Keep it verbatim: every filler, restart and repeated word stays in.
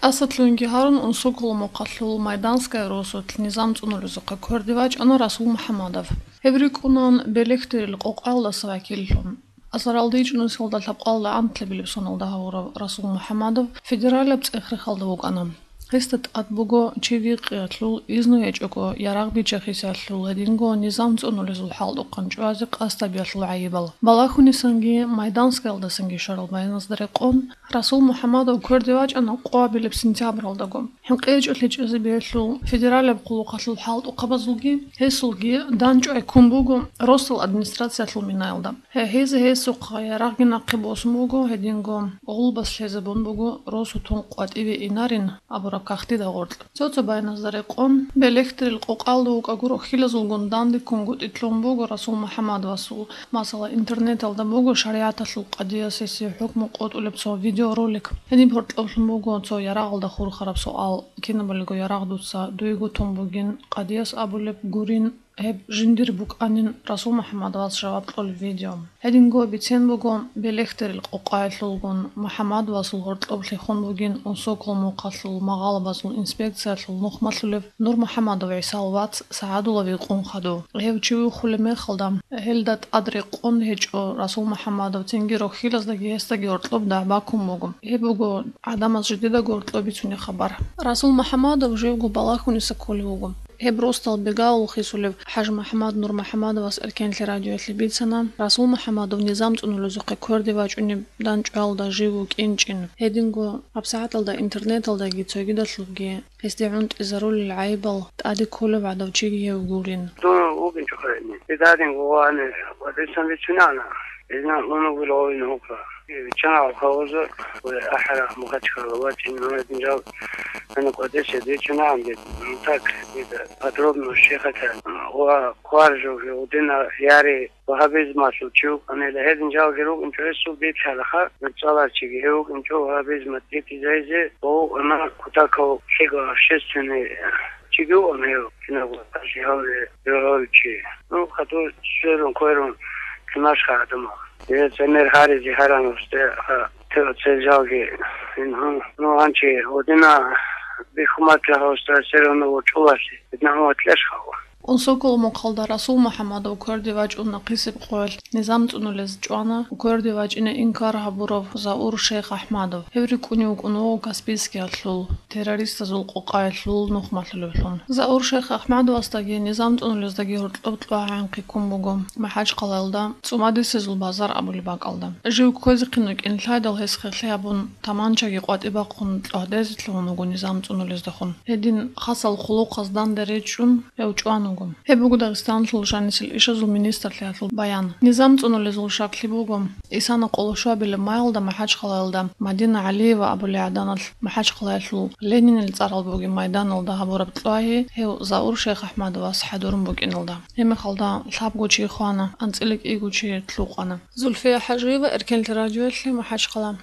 Асадлъунги гьарун унсоколо мухъалъул Майданская росулъ низам цӀунулезухъе кверде вачӀана Расул МухӀамадов. Гьеб рикӀкӀунан Белехтерил къокъаялдаса вакиллъун. Асаралда ичӀнусиялда лъабкъалда анлъабилеб соналда гьавурав Расул МухӀамадов федералаб цӀех-рехалда вукӀана. Гьесда тӀад буго чи викъиялъул, изну гьечӀого ярагъ биччахисиялъул, гьединго низам цӀунулезул хӀалтӀухъан чӀвазе къасд гьабиялъул гӀайибал. Балагьунисанги Майданскаялдасанги щварал байназда рекъон, Расул МухӀамадов кверде вачӀана къоабилеб сентябралдаго. ХӀинкъи гьечӀолъи чӀезе биялъул федералаб хъулухъалъул хӀалтӀухъабазулги, гьесулги данчӀвай ккун буго росдал администрациялъул минаялда. Гье-, гьез гьесухъа ярагъги нахъе босун буго, гьединго гъулбас лъезабун буго, росу тун къватӀиве инарин абураб кагътида гъоркь. Цо-цо байназда рекъон, Белехтерил къокъалда вукӀаго рохьилазулгун дандеккунгутӀи лъун буго Расул МухӀамадовасул, масала, интернеталда буго шаригӀаталъул къадияс гьесие хӀукму къотӀулеб цо видеоролик. Гьениб гьоркьоблъун буго цо ярагъалда хурхараб суал: «Кинабалиго ярагъ дуца дуего тун бугин, къадияс абулеб гурин, гьеб жиндир букӀанин», Расул МухӀамадовас жаваб кьолеб видео. Гьединго бицен буго Белехтерил къокъаялъулгун МухӀамадовасул гьоркьоб лъехун бугин Унсокол мухъалъул магъалабазул инспекциялъул нухмалъулев Нурмухьамадов ГӀисал вац СагӀадулав Икъун хадув. Гьев чи виххулеб мехалда, гьелда тӀад рекъон гьечӀо Расул МухӀамадов, цинги рохьилаздаги гьесдаги гьоркьоб дагӀба ккун буго. Гьеб буго гӀадамаз жидедаго гьоркьоб бицунеб хабар. Расул МухӀамадов живго Балагьуниса кколев вуго. Гьеб росдал бегавул хисулев ХӀажмухӀаммад Нурмухьаммадовас Эркенлъи радиоялъе бицана, Расул МухӀаммадов низам цӀунулезухъе кверде вачӀунеб данчӀвалда жив вукӀинчӀин. Гьединго гьабсагӀаталда интернеталдаги цогидалъулги гьесде гӀунтӀизарулел гӀайибал тӀаде кколев гӀадав чиги гьев гурин. Дун вукӀинчӀо хъайни. Дидадин гъувани ва дисан бицунана. Изна унугил гъовин гьукъа. Биччана Алхауза ва ахӀара Мухачкала вачӀин гьанадин жал. Ана кӀватӀиса дичунаан дед. Так, дида подробно щехатан. Ва кваржуги удина яри вагьабизмалъул чи вукӀанила. Гьедин жалги рукӀинчӀо гьесул бицалаха, нуцӀаларчиги гьев вукӀинчӀо вагьабизма тӀитӀизайзе, ва ана кутакав лъиго общественный чиги вукӀана гьев, кинабго гьавле, гьавлчи. Ну, хадур сверун кверун кинашха гӀадамал. Гьев цемер гьаризе гьаран усте, ха, те-, цел жалги. Ин, ну, гьанчи гьудина бихьуматла гьавста сверун вучӀулалъе, бидна гьума тлъеш хава. Унсокол мухъалда Расул МухӀаммадов кверде вачӀун нахъисеб къоялъ низам цӀунулез чӀвана кверде вачӀине инкар гьабурав Заур Шейх АхӀмадов. Гьев рикӀкӀунев вукӀун вуго Каспийскиялъул террористазул къокъаялъул нухмалъулевлъун. Заур Шейх АхӀмадовасдаги низам цӀунулездаги гьоркьоб кьвагӀанхъи ккун буго МахӀачхъалаялда ЦӀумадисезул базар абулеб бакӀалда. Жив кквезехъин вукӀин лъайдал гьес хехлъи гьабун, таманчаги къватӀи бахъун кьвагьдезе лъугьун вуго низам цӀунулездехун. Гьедин хасал хъулухъаз данде речӀчӀун гьев чӀван вуго. Гьеб буго Дагъистаналъул жанисел ишазул министрлъиялъул баян. Низам цӀунулезул щаклъи буго, Исана къоло щуабилеб майалда МахӀачхъалаялда Мадина ГӀалиева абулей гӀаданалъ МахӀачхъалаялъул Ленинил цӀарал бугеб майданалда гьабураб кьвагьи гьев Заур Шейх АхӀмадовас хӀадурун букӀиналда. Гьеб мехалда лъабго чи хвана, анцӀила кӀиго чи лъукъана. Зульфия ХӀажиева, Эркенлъи радиоялъе, МахӀачхъала.